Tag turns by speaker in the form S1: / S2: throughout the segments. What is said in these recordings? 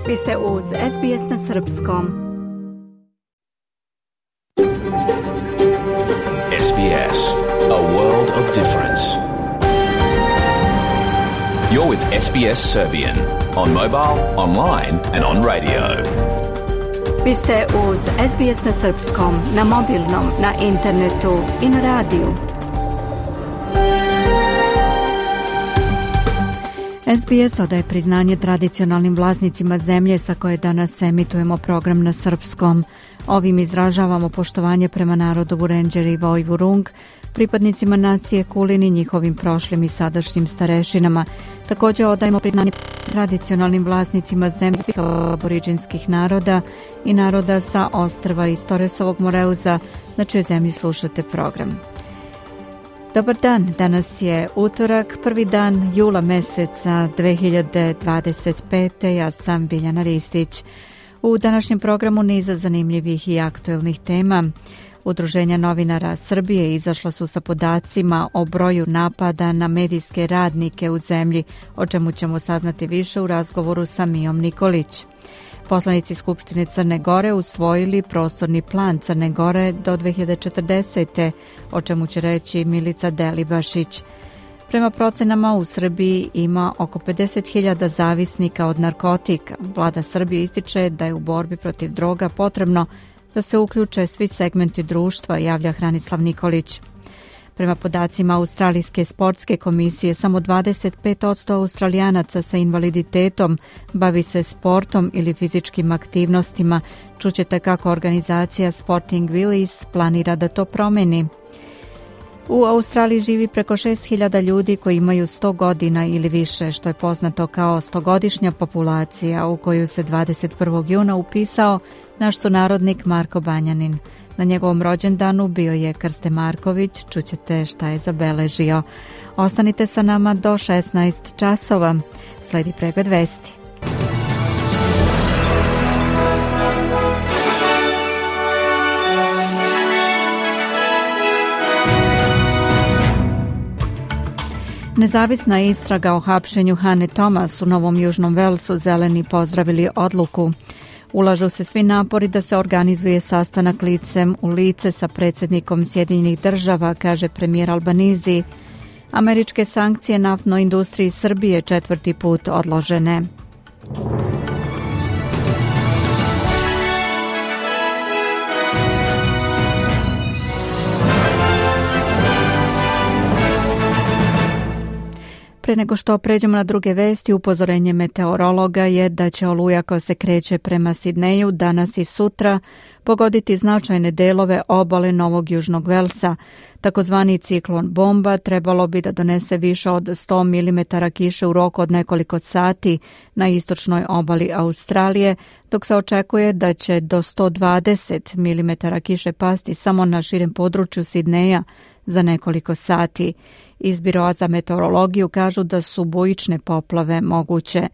S1: Vi ste uz SBS na srpskom.
S2: SBS, a world of difference. You're with SBS Serbian on mobile, online and on radio.
S1: Vi ste uz SBS na srpskom, na mobilnom, na internetu i na radiju. SBS odaje priznanje tradicionalnim vlasnicima zemlje sa koje danas emitujemo program na srpskom. Ovim izražavamo poštovanje prema narodu Vurenđeri i Vojvurung, pripadnicima nacije Kulin i njihovim prošlim i sadašnjim starešinama. Također odajemo priznanje tradicionalnim vlasnicima zemlje aboriđinskih naroda i naroda sa ostrva iz Toresovog Moreuza, na čijoj zemlji slušate program. Dobar dan, danas je utorak, prvi dan jula meseca 2025. Ja sam Biljana Ristić. U današnjem programu niza zanimljivih i aktuelnih tema. Udruženja novinara Srbije izašla su sa podacima o broju napada na medijske radnike u zemlji, o čemu ćemo saznati više u razgovoru sa Mijom Nikolić. Poslanici Skupštine Crne Gore usvojili prostorni plan Crne Gore do 2040. o čemu će reći Milica Delibašić. Prema procenama u Srbiji ima oko 50.000 zavisnika od narkotika. Vlada Srbije ističe da je u borbi protiv droga potrebno da se uključe svi segmenti društva, javlja Hranislav Nikolić. Prema podacima Australijske sportske komisije, samo 25% Australijanaca sa invaliditetom bavi se sportom ili fizičkim aktivnostima. Čućete kako organizacija Sporting Willis planira da to promeni. U Australiji živi preko 6.000 ljudi koji imaju 100 godina ili više, što je poznato kao 100-godišnja populacija u koju se 21. juna upisao naš sunarodnik Marko Banjanin. Na njegovom rođendanu bio je Krste Marković, čućete šta je zabeležio. Ostanite sa nama do 16 časova. Sledi pregled vesti. Nezavisna istraga o hapšenju Hane Thomas u Novom Južnom Velsu, zeleni pozdravili odluku. Ulažu se svi napori da se organizuje sastanak licem u lice sa predsjednikom Sjedinjenih država, kaže premijer Albanizi. Američke sankcije naftnoj industriji Srbije 4. put odložene. Pre nego što pređemo na druge vesti, upozorenje meteorologa je da će oluja koja se kreće prema Sidneju danas i sutra pogoditi značajne delove obale Novog Južnog Velsa. Takozvani ciklon bomba trebalo bi da donese više od 100 mm kiše u roku od nekoliko sati na istočnoj obali Australije, dok se očekuje da će do 120 mm kiše pasti samo na širem području Sidneja za nekoliko sati. Iz Biroa za meteorologiju kažu da su bujične poplave moguće.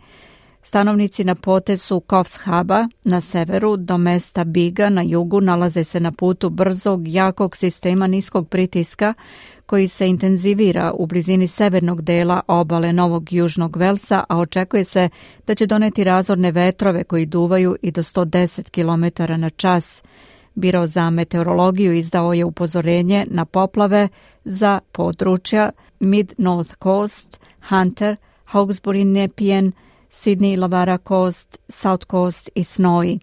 S1: Stanovnici na potezu Coffs Harbour na severu do mesta Biga na jugu nalaze se na putu brzog, jakog sistema niskog pritiska koji se intenzivira u blizini severnog dela obale Novog Južnog Velsa, a očekuje se da će doneti razorne vetrove koji duvaju i do 110 km na čas. Biro za meteorologiju izdao je upozorenje na poplave za područja Mid-North Coast, Hunter, Hawkesbury, Nepean, Sydney, Lavara Coast, South Coast i Snowy.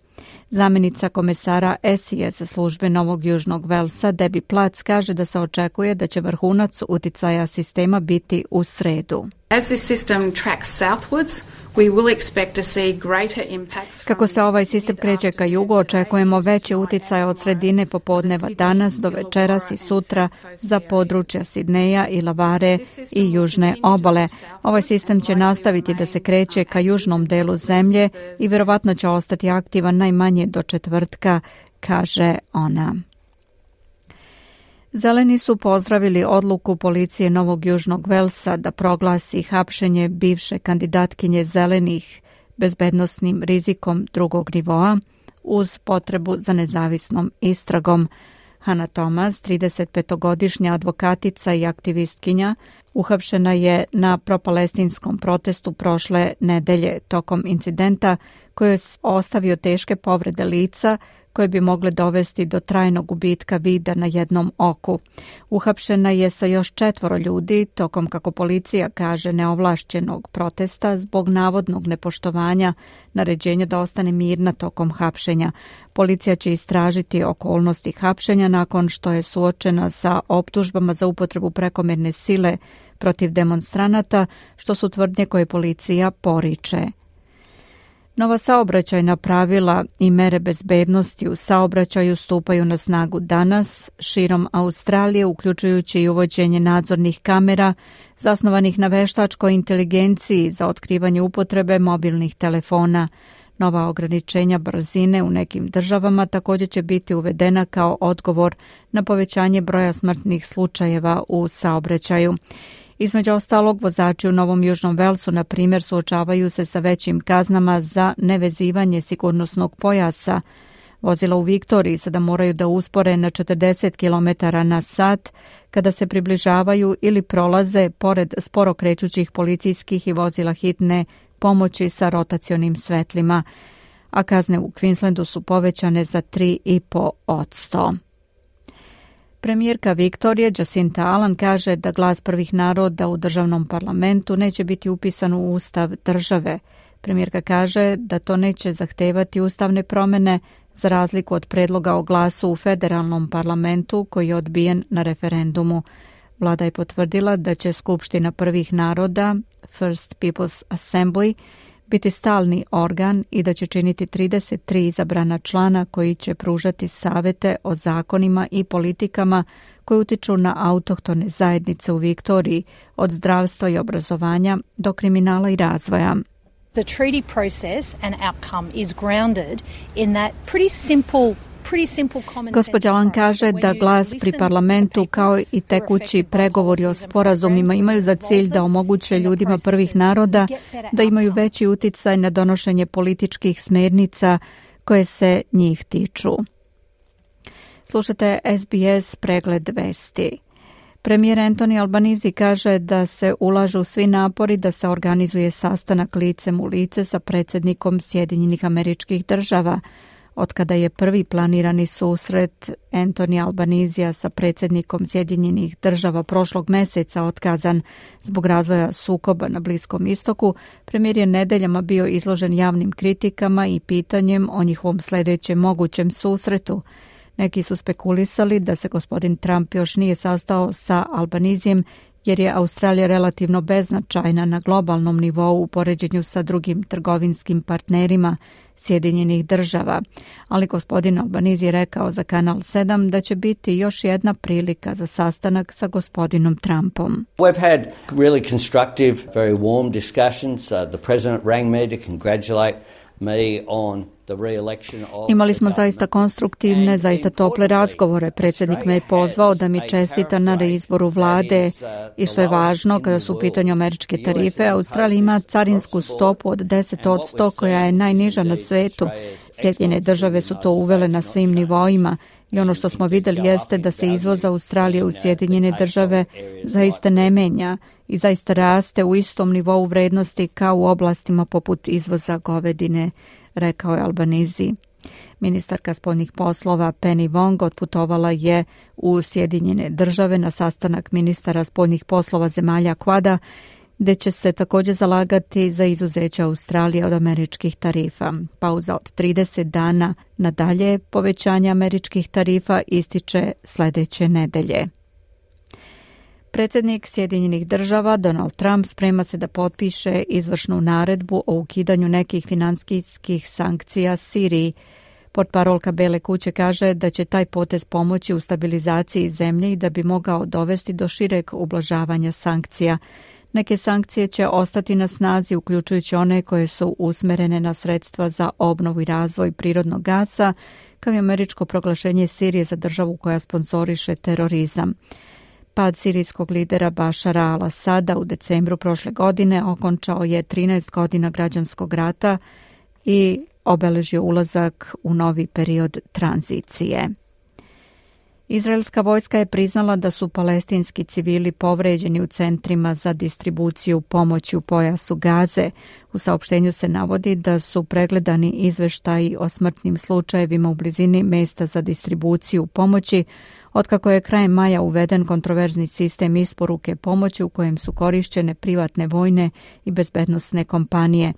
S1: Zamjenica komesara SES službe Novog Južnog Velsa Debbie Platz kaže da se očekuje da će vrhunac uticaja sistema biti u sredu.
S3: As this system tracks southwards, we will expect to see greater impacts.
S1: Kako se ovaj sistem kreće ka jugu, očekujemo veći uticaj od sredine popodneva danas do večeras i sutra za područja Sidneja i Lavare i južne obale. Ovaj sistem će nastaviti da se kreće ka južnom delu zemlje i vjerovatno će ostati aktivan najmanje do četvrtka, kaže ona. Zeleni su pozdravili odluku policije Novog Južnog Velsa da proglasi hapšenje bivše kandidatkinje Zelenih bezbednosnim rizikom drugog nivoa uz potrebu za nezavisnom istragom. Hannah Thomas, 35-godišnja advokatica i aktivistkinja, uhapšena je na propalestinskom protestu prošle nedelje tokom incidenta koji je ostavio teške povrede lica koje bi mogle dovesti do trajnog gubitka vida na jednom oku. Uhapšena je sa još 4 ljudi tokom, kako policija kaže, neovlašćenog protesta zbog navodnog nepoštovanja naređenja da ostane mirna tokom hapšenja. Policija će istražiti okolnosti hapšenja nakon što je suočena sa optužbama za upotrebu prekomjerne sile protiv demonstranata, što su tvrdnje koje policija poriče. Nova saobraćajna pravila i mere bezbednosti u saobraćaju stupaju na snagu danas širom Australije, uključujući i uvođenje nadzornih kamera zasnovanih na veštačkoj inteligenciji za otkrivanje upotrebe mobilnih telefona. Nova ograničenja brzine u nekim državama također će biti uvedena kao odgovor na povećanje broja smrtnih slučajeva u saobraćaju. Između ostalog, vozači u Novom Južnom Velsu, na primjer, suočavaju se sa većim kaznama za nevezivanje sigurnosnog pojasa. Vozila u Viktoriji sada moraju da uspore na 40 km na sat kada se približavaju ili prolaze pored sporo krećućih policijskih i vozila hitne pomoći sa rotacionim svetlima, a kazne u Queenslandu su povećane za 3,5%. Premijerka Viktorije Jacinta Allan kaže da glas prvih naroda u državnom parlamentu neće biti upisan u ustav države. Premijerka kaže da to neće zahtevati ustavne promjene za razliku od predloga o glasu u federalnom parlamentu koji je odbijen na referendumu. Vlada je potvrdila da će Skupština prvih naroda, First People's Assembly, biti stalni organ i da će činiti 33 izabrana člana koji će pružati savete o zakonima i politikama koji utiču na autohtone zajednice u Viktoriji, od zdravstva i obrazovanja do kriminala i razvoja.
S4: The treaty process and outcome is grounded in that pretty simple.
S1: Gospođa Allan kaže da glas pri parlamentu kao i tekući pregovori o sporazumima imaju za cilj da omoguće ljudima prvih naroda da imaju veći uticaj na donošenje političkih smernica koje se njih tiču. Slušate SBS pregled vesti. Premijer Anthony Albanese kaže da se ulažu svi napori da se organizuje sastanak licem u lice sa predsjednikom Sjedinjenih Američkih Država. Otkada je prvi planirani susret Anthony Albanesea sa predsjednikom Sjedinjenih Država prošlog mjeseca otkazan zbog razvoja sukoba na Bliskom istoku, premijer je nedeljama bio izložen javnim kritikama i pitanjem o njihovom sljedećem mogućem susretu. Neki su spekulisali da se gospodin Trump još nije sastao sa Albaneseem jer je Australija relativno beznačajna na globalnom nivou u poređenju sa drugim trgovinskim partnerima Sjedinjenih Država. Ali gospodin Albanese je rekao za Kanal 7 da će biti još jedna prilika za sastanak sa gospodinom Trumpom.
S5: We've had really constructive, very warm discussions. The president rang me to congratulate me on the re-election of.
S1: Imali smo zaista konstruktivne, zaista tople razgovore. Predsjednik me je pozvao da mi čestita na reizboru vlade i što je važno kada su u pitanju američke tarife, Australija ima carinsku stopu od 10% koja je najniža na svetu. Sjedinjene države su to uvele na svim nivoima i ono što smo vidjeli jeste da se izvoz Australije u Sjedinjene države zaista ne menja i zaista raste u istom nivou vrednosti kao u oblastima poput izvoza govedine, rekao je Albanese. Ministarka spoljnih poslova Penny Wong otputovala je u Sjedinjene države na sastanak ministara spoljnih poslova zemalja Quada, gdje će se također zalagati za izuzeće Australije od američkih tarifa. Pauza od 30 dana nadalje povećanje američkih tarifa ističe sljedeće nedelje. Predsjednik Sjedinjenih država Donald Trump sprema se da potpiše izvršnu naredbu o ukidanju nekih financijskih sankcija Siriji. Portparolka Bele kuće kaže da će taj potez pomoći u stabilizaciji zemlje i da bi mogao dovesti do šireg ublažavanja sankcija. Neke sankcije će ostati na snazi, uključujući one koje su usmjerene na sredstva za obnovu i razvoj prirodnog gasa, kao i američko proglašenje Sirije za državu koja sponzoriše terorizam. Pad sirijskog lidera Bašara al-Asada u decembru prošle godine okončao je 13 godina građanskog rata i obeležio ulazak u novi period tranzicije. Izraelska vojska je priznala da su palestinski civili povređeni u centrima za distribuciju pomoći u pojasu Gaze. U saopštenju se navodi da su pregledani izveštaji o smrtnim slučajevima u blizini mesta za distribuciju pomoći, otkako je krajem maja uveden kontroverzni sistem isporuke pomoći u kojem su korišćene privatne vojne i bezbednosne kompanije.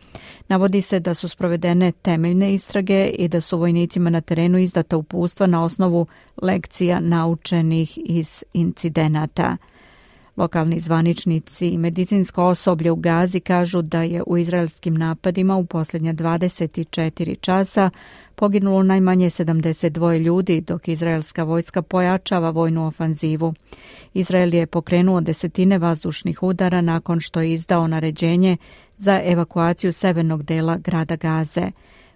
S1: Navodi se da su sprovedene temeljne istrage i da su vojnicima na terenu izdata uputstva na osnovu lekcija naučenih iz incidenata. Lokalni zvaničnici i medicinsko osoblje u Gazi kažu da je u izraelskim napadima u posljednja 24 časa poginulo najmanje 72 ljudi, dok izraelska vojska pojačava vojnu ofanzivu. Izrael je pokrenuo desetine vazdušnih udara nakon što je izdao naređenje za evakuaciju severnog dela grada Gaze.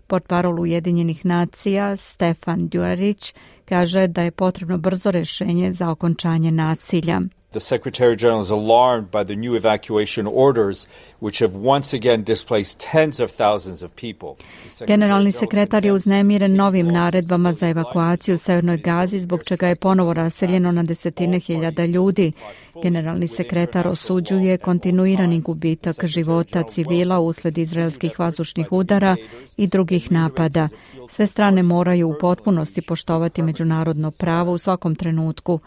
S1: Portparol Ujedinjenih nacija Stefan Dujarric kaže da je potrebno brzo rješenje za okončanje nasilja.
S6: The Secretary General is alarmed by the new evacuation orders, which have once again displaced tens of thousands of people.
S1: Generalni sekretar je uznemiren novim naredbama za evakuaciju u Severnoj Gazi, zbog čega je ponovo raseljeno na desetine hiljada ljudi. Generalni sekretar osuđuje kontinuirani gubitak života civila usled izraelskih vazdušnih udara i drugih napada. Sve strane moraju u potpunosti poštovati međunarodno pravo u svakom trenutku.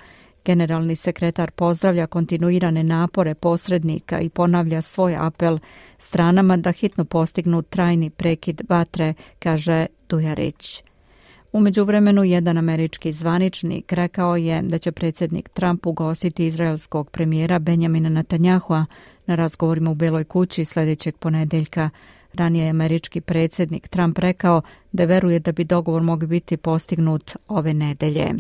S1: Generalni sekretar pozdravlja kontinuirane napore posrednika i ponavlja svoj apel stranama da hitno postignu trajni prekid vatre, kaže Dujarric. U međuvremenu jedan američki zvaničnik rekao je da će predsjednik Trump ugostiti izraelskog premijera Benjamina Netanyahua na razgovorima u Beloj kući sljedećeg ponedjeljka. Ranije je američki predsjednik Trump rekao da veruje da bi dogovor mogao biti postignut ove nedelje.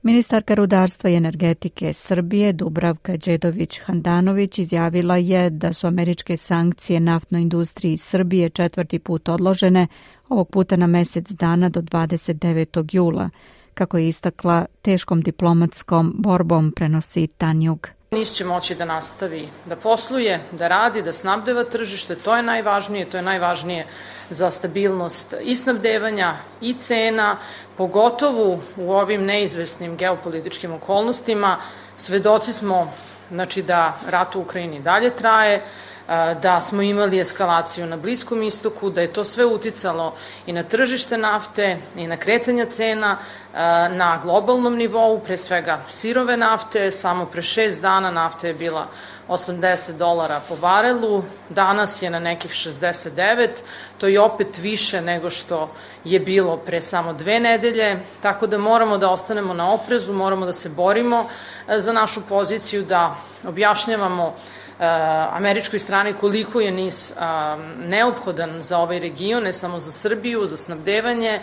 S1: Ministarka rudarstva i energetike Srbije Dubravka Đedović-Handanović izjavila je da su američke sankcije naftnoj industriji Srbije 4. put odložene, ovog puta na mjesec dana do 29. jula. Kako je istakla, teškom diplomatskom borbom prenosi Tanjug.
S7: NIS će moći da nastavi da posluje, da radi, da snabdeva tržište, to je najvažnije za stabilnost i snabdevanja i cena, pogotovo u ovim neizvesnim geopolitičkim okolnostima. Svedoci smo da rat u Ukrajini dalje traje, da smo imali eskalaciju na Bliskom istoku, da je to sve uticalo i na tržište nafte i na kretanja cena na globalnom nivou, pre svega sirove nafte. Samo pre 6 dana nafta je bila $80 po barelu, danas je na nekih 69, to je opet više nego što je bilo pre samo 2 nedelje, tako da moramo da ostanemo na oprezu, moramo da se borimo za našu poziciju, da objašnjavamo američkoj strani koliko je NIS neophodan za ovaj region, ne samo za Srbiju, za snabdevanje.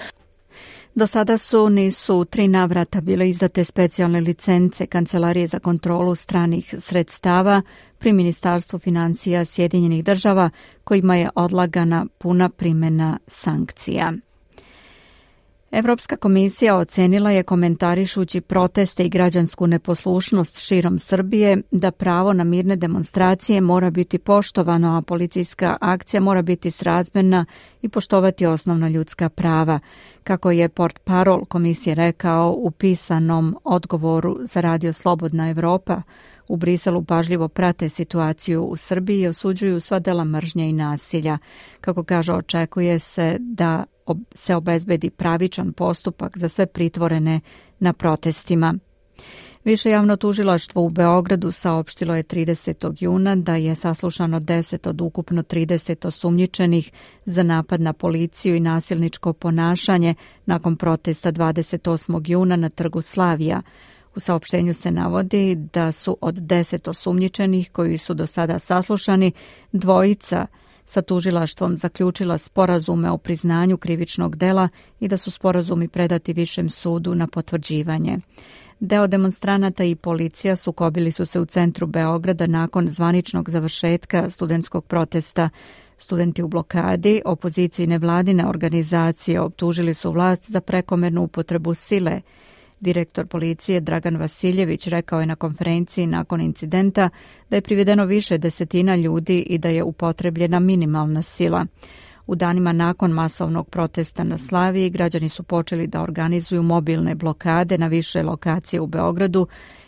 S1: Do sada su NIS-u 3 navrata bile izdate specijalne licence Kancelarije za kontrolu stranih sredstava pri Ministarstvu financija Sjedinjenih država, kojima je odlagana puna primjena sankcija. Evropska komisija ocenila je, komentarišući proteste i građansku neposlušnost širom Srbije, da pravo na mirne demonstracije mora biti poštovano, a policijska akcija mora biti srazmjerna i poštovati osnovna ljudska prava. Kako je portparol komisije rekao u pisanom odgovoru za radio Slobodna Evropa, u Briselu pažljivo prate situaciju u Srbiji i osuđuju sva dela mržnje i nasilja. Kako kaže, očekuje se da se obezbedi pravičan postupak za sve pritvorene na protestima. Više javno tužilaštvo u Beogradu saopštilo je 30. juna da je saslušano 10 od ukupno 30 osumnjičenih za napad na policiju i nasilničko ponašanje nakon protesta 28. juna na trgu Slavija. U saopštenju se navodi da su od 10 osumnjičenih koji su do sada saslušani, 2 sa tužilaštvom zaključila sporazume o priznanju krivičnog dela i da su sporazumi predati Višem sudu na potvrđivanje. Deo demonstranata i policija sukobili su se u centru Beograda nakon zvaničnog završetka studentskog protesta. Studenti u blokadi, opoziciji i nevladine organizacije optužili su vlast za prekomernu upotrebu sile. Direktor policije Dragan Vasiljević rekao je na konferenciji nakon incidenta da je privedeno više desetina ljudi i da je upotrebljena minimalna sila. U danima nakon masovnog protesta na Slaviji, građani su počeli da organizuju mobilne blokade na više lokacije u Beogradu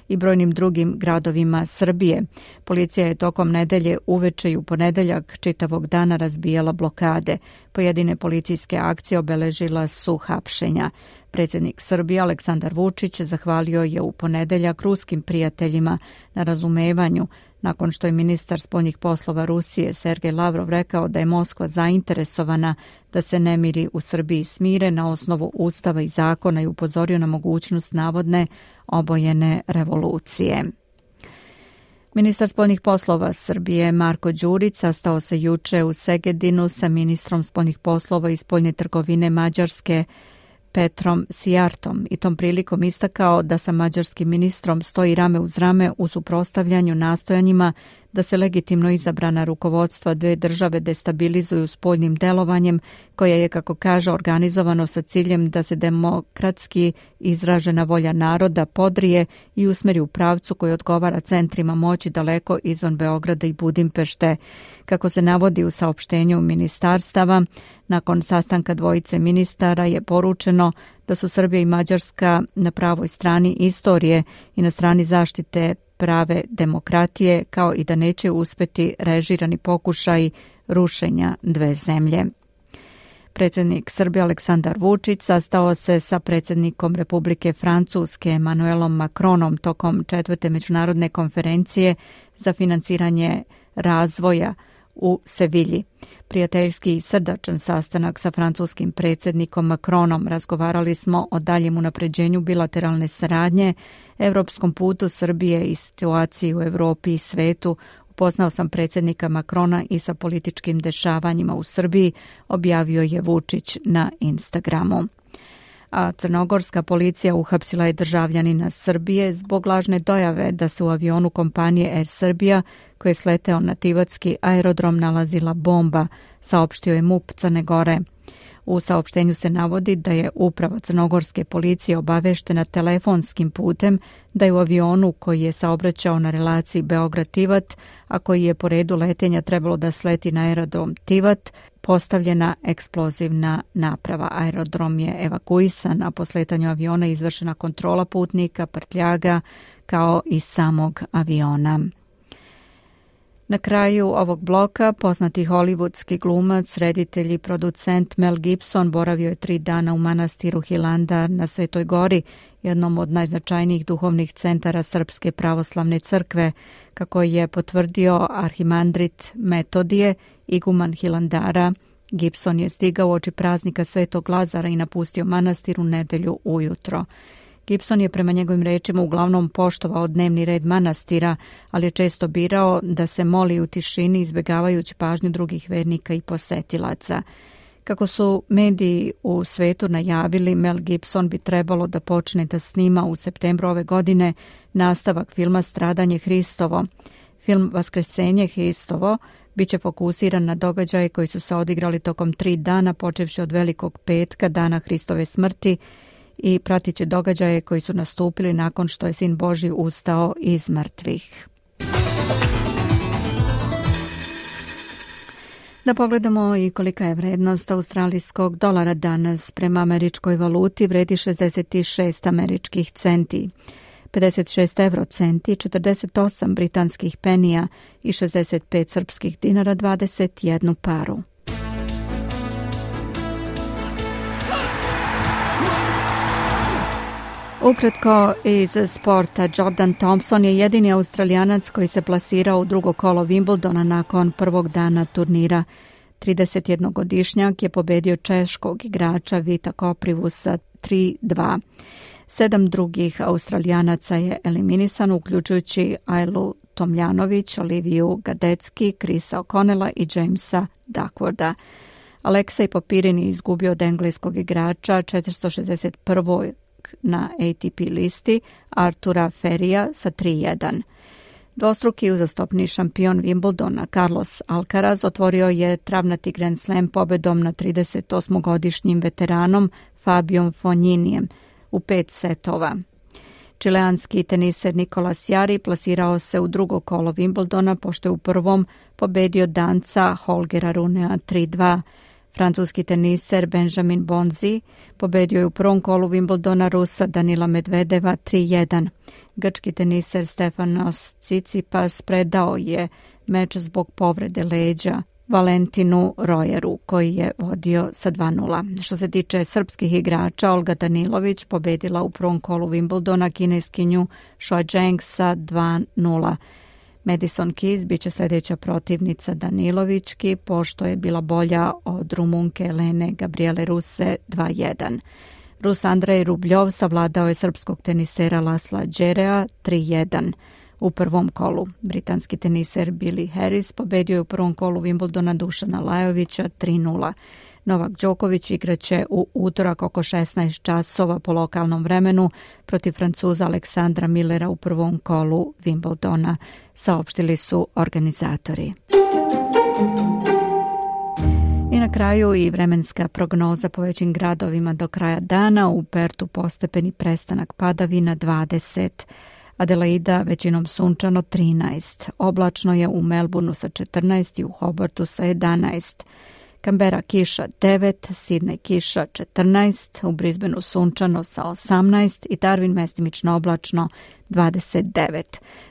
S1: i brojnim drugim gradovima Srbije. Policija je tokom nedelje uveče i u ponedeljak čitavog dana razbijala blokade. Pojedine policijske akcije obeležila su hapšenja. Predsjednik Srbije Aleksandar Vučić zahvalio je u ponedeljak ruskim prijateljima na razumevanju, nakon što je ministar spoljnih poslova Rusije Sergej Lavrov rekao da je Moskva zainteresovana da se nemiri u Srbiji smire na osnovu ustava i zakona i upozorio na mogućnost navodne obojene revolucije. Ministar spoljnih poslova Srbije Marko Đurić sastao se juče u Segedinu sa ministrom spoljnih poslova i spoljne trgovine Mađarske Petrom Sijartom i tom prilikom istakao da sa mađarskim ministrom stoji rame uz rame u suprotstavljanju nastojanjima da se legitimno izabrana rukovodstva dve države destabilizuju spoljnim delovanjem koje je, kako kaže, organizovano sa ciljem da se demokratski izražena volja naroda podrije i usmeri u pravcu koji odgovara centrima moći daleko izvan Beograda i Budimpešte. Kako se navodi u saopštenju ministarstava, nakon sastanka dvojice ministara je poručeno da su Srbija i Mađarska na pravoj strani istorije i na strani zaštite prave demokratije, kao i da neće uspeti režirani pokušaj rušenja dve zemlje. Predsjednik Srbije Aleksandar Vučić sastao se sa predsjednikom Republike Francuske Emmanuelom Macronom tokom 4. međunarodne konferencije za financiranje razvoja u Sevilji. Prijateljski i srdačan sastanak sa francuskim predsjednikom Macronom. Razgovarali smo o daljem unapređenju bilateralne saradnje, evropskom putu Srbije i situaciji u Europi i svetu. Upoznao sam predsjednika Macrona i sa političkim dešavanjima u Srbiji, objavio je Vučić na Instagramu. A crnogorska policija uhapsila je državljanina Srbije zbog lažne dojave da se u avionu kompanije Air Serbia, koji je sleteo na Tivatski aerodrom, nalazila bomba, saopštio je MUP Crne Gore. U saopštenju se navodi da je uprava crnogorske policije obaveštena telefonskim putem da je u avionu koji je saobraćao na relaciji Beograd-Tivat, a koji je po redu letenja trebalo da sleti na aerodrom Tivat, postavljena eksplozivna naprava. Aerodrom je evakuisan, a po sletanju aviona izvršena kontrola putnika, prtljaga, kao i samog aviona. Na kraju ovog bloka poznati hollywoodski glumac, reditelj i producent Mel Gibson boravio je 3 dana u manastiru Hilandar na Svetoj Gori, jednom od najznačajnijih duhovnih centara Srpske pravoslavne crkve, kako je potvrdio arhimandrit Metodije, iguman Hilandara. Gibson je stigao uoči praznika Svetog Lazara i napustio manastir u nedelju ujutro. Gibson je prema njegovim rečima uglavnom poštovao dnevni red manastira, ali je često birao da se moli u tišini, izbjegavajući pažnju drugih vernika i posetilaca. Kako su mediji u svetu najavili, Mel Gibson bi trebalo da počne da snima u septembru ove godine nastavak filma Stradanje Hristovo. Film Vaskrsenje Hristovo biće fokusiran na događaje koji su se odigrali tokom 3 dana, počevši od Velikog petka, dana Hristove smrti, i pratit će događaje koji su nastupili nakon što je Sin Božji ustao iz mrtvih. Da pogledamo i kolika je vrednost australijskog dolara danas. Prema američkoj valuti vredi 66 američkih centi, 56 eurocenti, 48 britanskih penija i 65 srpskih dinara, 21 paru. Ukratko iz sporta, Jordan Thompson je jedini Australijanac koji se plasirao u drugo kolo Wimbledona nakon prvog dana turnira. 31-godišnjak je pobedio češkog igrača Vita Koprivusa 3-2. 7 drugih Australijanaca je eliminisano, uključujući Ajlu Tomljanović, Oliviju Gadecki, Chrisa O'Connella i Jamesa Duckworda. Aleksej Popirin je izgubio od engleskog igrača 461. na ATP listi Artura Ferija sa 3-1. Dvostruki uzastopni šampion Wimbledona Carlos Alcaraz otvorio je travnati Grand Slam pobedom na 38-godišnjim veteranom Fabijom Fogninijem u 5 setova. Čileanski teniser Nicolas Jarry plasirao se u drugo kolo Wimbledona, pošto je u prvom pobedio Danca Holgera Runea 3-2. Francuski teniser Benjamin Bonzi pobedio je u prvom kolu Wimbledona Rusa Danila Medvedeva 3-1. Grčki teniser Stefanos Tsitsipas predao je meč zbog povrede leđa Valentinu Rojeru, koji je vodio sa 2-0. Što se tiče srpskih igrača, Olga Danilović pobedila u prvom kolu Wimbledona kineskinju Shuai Zheng sa 2-0. Madison Keys biće sljedeća protivnica Danilovićki, pošto je bila bolja od Rumunke Elene Gabriele Ruse 2-1. Rus Andrej Rubljov savladao je srpskog tenisera Lasla Đerea 3-1. U prvom kolu britanski teniser Billy Harris pobedio je u prvom kolu Wimbledona Dušana Lajovića 3-0. Novak Đoković igraće u utorak oko 16 časova po lokalnom vremenu protiv Francuza Aleksandra Millera u prvom kolu Wimbledona, saopštili su organizatori. I na kraju i vremenska prognoza po većim gradovima do kraja dana. U Pertu postepeni prestanak padavina 20, Adelaida većinom sunčano 13, oblačno je u Melbourneu sa 14 i u Hobartu sa 11, Canberra kiša 9, Sydney kiša 14, u Brisbaneu sunčano sa 18 i Darwin mestimično oblačno 29.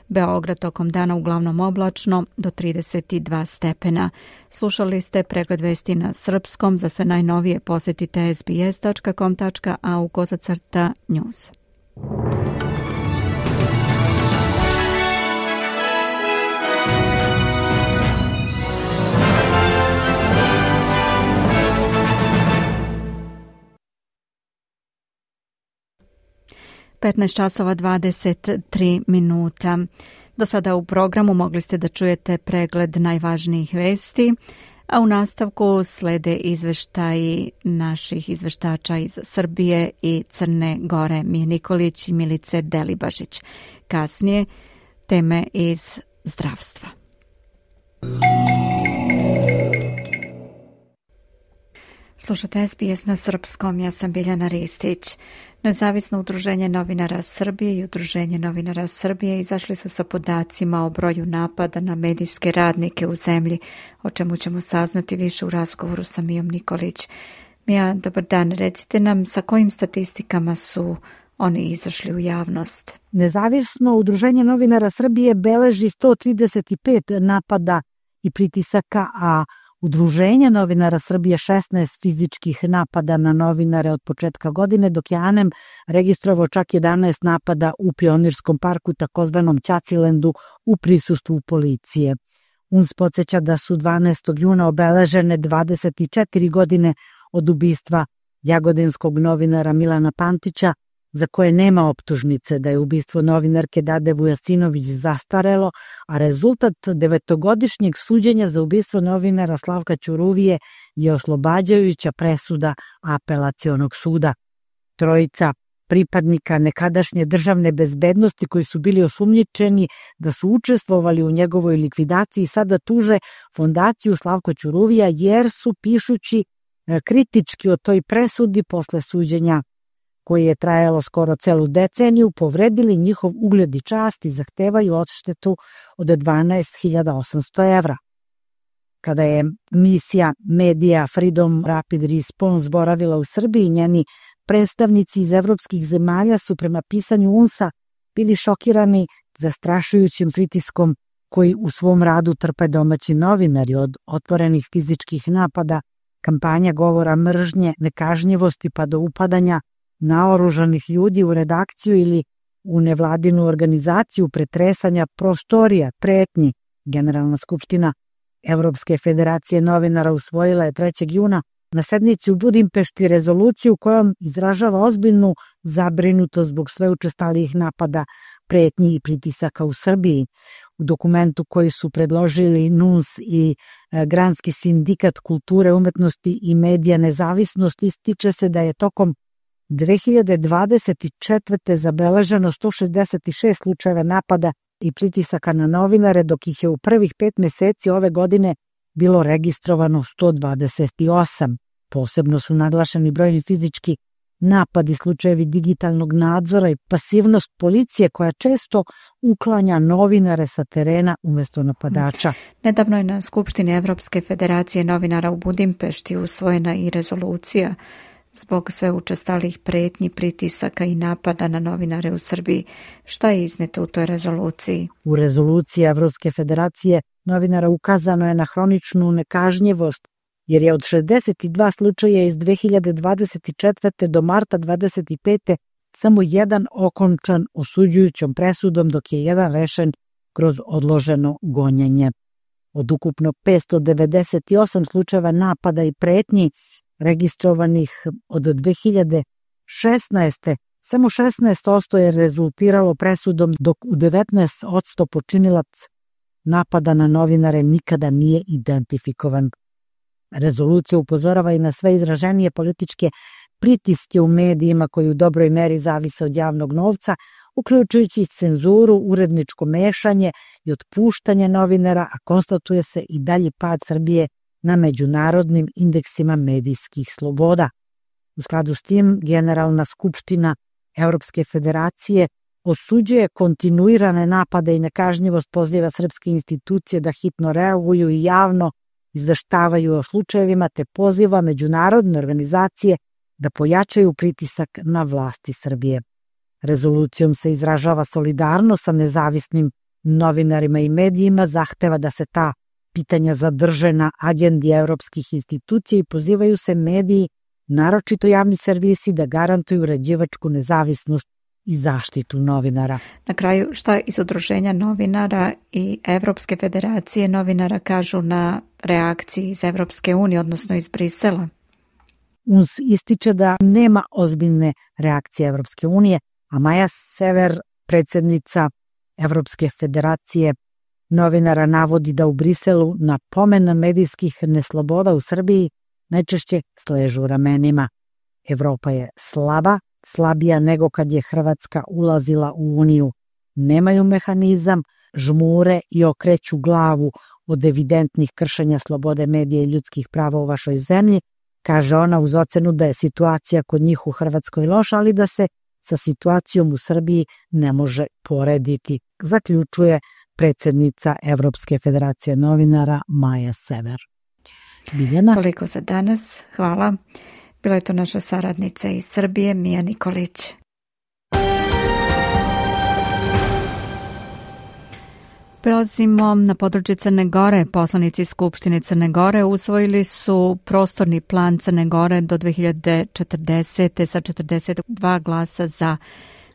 S1: Beograd tokom dana uglavnom oblačno do 32 stepena. Slušali ste pregled vesti na srpskom. Za sve najnovije posjetite sbs.com.au/news. časova 23 minuta. Do sada u programu mogli ste da čujete pregled najvažnijih vesti, a u nastavku slede izveštaji naših izveštača iz Srbije i Crne Gore, Mije Nikolić i Milice Delibašić. Kasnije teme iz zdravstva. Slušate SBS na srpskom, ja sam Biljana Ristić. Nezavisno udruženje novinara Srbije i Udruženje novinara Srbije izašli su sa podacima o broju napada na medijske radnike u zemlji, o čemu ćemo saznati više u razgovoru sa Mijom Nikolić. Mija, dobar dan, recite nam sa kojim statistikama su oni izašli u javnost.
S8: Nezavisno udruženje novinara Srbije beleži 135 napada i pritisaka, a Udruženje novinara Srbije 16 fizičkih napada na novinare od početka godine, dok je ANEM registrovao čak 11 napada u Pionirskom parku, takozvanom Ćacilendu, u prisustvu policije. UNS podsjeća da su 12. juna obeležene 24 godine od ubistva jagodinskog novinara Milana Pantića, za koje nema optužnice, da je ubistvo novinarke Dade Vujasinović zastarelo, a rezultat 9-godišnjeg suđenja za ubistvo novinara Slavka Ćuruvije je oslobađajuća presuda Apelacionog suda. Trojica pripadnika nekadašnje državne bezbednosti koji su bili osumnjičeni da su učestvovali u njegovoj likvidaciji sada tuže fondaciju Slavko Ćuruvija jer su, pišući kritički o toj presudi posle suđenja koje je trajalo skoro celu deceniju, povredili njihov ugled i čast i zahtevaju odštetu od 12.800 evra. Kada je misija Media Freedom Rapid Response boravila u Srbiji, njeni predstavnici iz evropskih zemalja su prema pisanju UNS-a bili šokirani zastrašujućim pritiskom koji u svom radu trpe domaći novinari, od otvorenih fizičkih napada, kampanja govora mržnje, nekažnjivosti pa do upadanja naoružanih ljudi u redakciju ili u nevladinu organizaciju, pretresanja prostorija, pretnji. Generalna skupština Evropske federacije novinara usvojila je 3. juna na sednici u Budimpešti rezoluciju kojom izražava ozbiljnu zabrinutost zbog sve učestalijih napada, pretnji i pritisaka u Srbiji. U dokumentu koji su predložili NUNS i Granski sindikat kulture, umetnosti i medija nezavisnosti, ističe se da je tokom 2024. zabeleženo 166 slučajeva napada i pritisaka na novinare, dok ih je u prvih 5 meseci ove godine bilo registrovano 128. Posebno su naglašeni brojni fizički napadi, slučajevi digitalnog nadzora i pasivnost policije koja često uklanja novinare sa terena umjesto napadača.
S1: Nedavno je na Skupštini Evropske federacije novinara u Budimpešti usvojena i rezolucija zbog sve učestalih pretnji, pritisaka i napada na novinare u Srbiji. Šta je izneto u toj rezoluciji?
S8: U rezoluciji Evropske federacije novinara ukazano je na hroničnu nekažnjivost, jer je od 62 slučaja iz 2024. do marta 2025. samo jedan okončan osuđujućom presudom, dok je jedan rešen kroz odloženo gonjenje. Od ukupno 598 slučajeva napada i pretnji registrovanih od 2016. samo 16% je rezultiralo presudom, dok u 19% počinilac napada na novinare nikada nije identifikovan. Rezolucija upozorava i na sve izraženije političke pritiske u medijima koji u dobroj meri zavise od javnog novca, uključujući cenzuru, uredničko mešanje i otpuštanje novinara, a konstatuje se i dalji pad Srbije na međunarodnim indeksima medijskih sloboda. U skladu s tim, Generalna skupština Evropske federacije osuđuje kontinuirane napade i nekažnjivost, poziva srpske institucije da hitno reaguju i javno izveštavaju o slučajevima, te poziva međunarodne organizacije da pojačaju pritisak na vlasti Srbije. Rezolucijom se izražava solidarnost sa nezavisnim novinarima i medijima, zahteva da se ta pitanja zadrže na agendi evropskih institucija i pozivaju se mediji, naročito javni servisi, da garantuju uređivačku nezavisnost i zaštitu novinara.
S1: Na kraju, šta iz Udruženja novinara i Evropske federacije novinara kažu na reakciji iz Evropske unije, odnosno iz Brisela?
S8: UNS ističe da nema ozbiljne reakcije Evropske unije, a Maja Sever, predsjednica Evropske federacije novinara, navodi da u Briselu na pomen medijskih nesloboda u Srbiji najčešće sležu ramenima. Evropa je slaba, slabija nego kad je Hrvatska ulazila u Uniju. Nemaju mehanizam, žmure i okreću glavu od evidentnih kršenja slobode medija i ljudskih prava u vašoj zemlji, kaže ona uz ocenu da je situacija kod njih u Hrvatskoj loša, ali da se sa situacijom u Srbiji ne može porediti, zaključuje predsjednica Evropske federacije novinara Maja Sever. Biljana?
S1: Toliko za danas. Hvala. Bila je to naša saradnica iz Srbije, Mija Nikolić. Prelazimo na područje Crne Gore. Poslanici Skupštine Crne Gore usvojili su prostorni plan Crne Gore do 2040. sa 42 glasa za.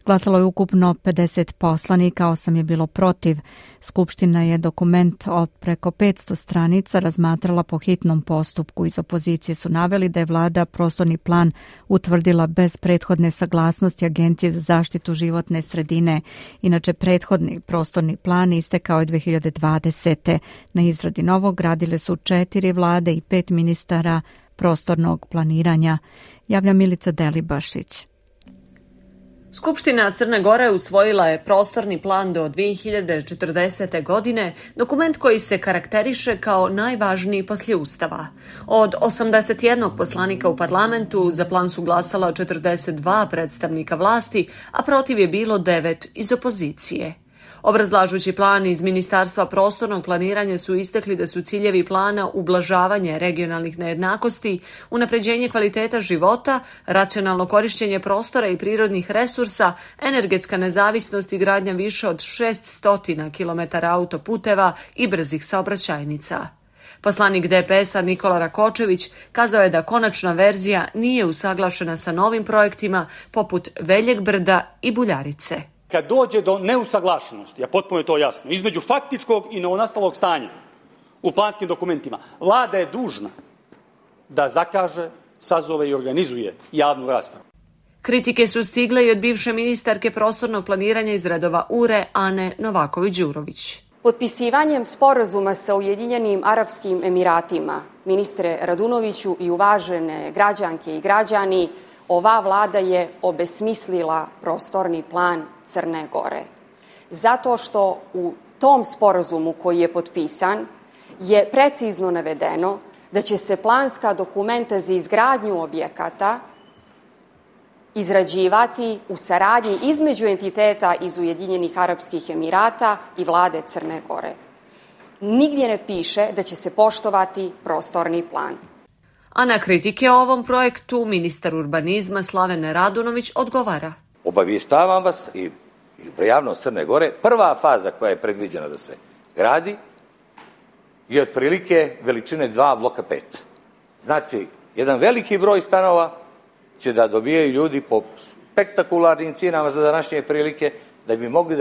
S1: Glasalo je ukupno 50 poslanika, 8 je bilo protiv. Skupština je dokument od preko 500 stranica razmatrala po hitnom postupku. Iz opozicije su naveli da je vlada prostorni plan utvrdila bez prethodne saglasnosti Agencije za zaštitu životne sredine. Inače, prethodni prostorni plan istekao je 2020. Na izradi novog radile su 4 vlade i 5 ministara prostornog planiranja. Javlja Milica Delibašić.
S9: Skupština Crne Gore usvojila je prostorni plan do 2040. godine, dokument koji se karakteriše kao najvažniji poslije Ustava. Od 81 poslanika u parlamentu za plan su glasala 42 predstavnika vlasti, a protiv je bilo 9 iz opozicije. Obrazlažući plan iz Ministarstva prostornog planiranja su istakli da su ciljevi plana ublažavanje regionalnih nejednakosti, unapređenje kvaliteta života, racionalno korišćenje prostora i prirodnih resursa, energetska nezavisnost i gradnja više od 600 km autoputeva i brzih saobraćajnica. Poslanik DPS-a Nikola Rakočević kazao je da konačna verzija nije usaglašena sa novim projektima poput Veljeg brda i Buljarice.
S10: Kad dođe do neusaglašenosti, a potpuno je to jasno, između faktičkog i novonastalog stanja u planskim dokumentima, vlada je dužna da zakaže, sazove i organizuje javnu raspravu.
S9: Kritike su stigle i od bivše ministarke prostornog planiranja iz redova URE Ane Novaković-Đurović.
S11: Potpisivanjem sporazuma sa Ujedinjenim Arapskim Emiratima, ministre Radunoviću i uvažene građanke i građani, ova vlada je obesmislila prostorni plan Crne Gore. Zato što u tom sporazumu koji je potpisan je precizno navedeno da će se planska dokumenta za izgradnju objekata izrađivati u saradnji između entiteta iz Ujedinjenih Arapskih Emirata i vlade Crne Gore. Nigdje ne piše da će se poštovati prostorni plan.
S9: A na kritike o ovom projektu ministar urbanizma Slaven Radunović odgovara.
S12: Obavještavam vas i javnost Crne Gore, prva faza koja je predviđena da se gradi je otprilike veličine 2 bloka 5. Znači, jedan veliki broj stanova će da dobijaju ljudi po spektakularnim cijenama za današnje prilike, da bi mogli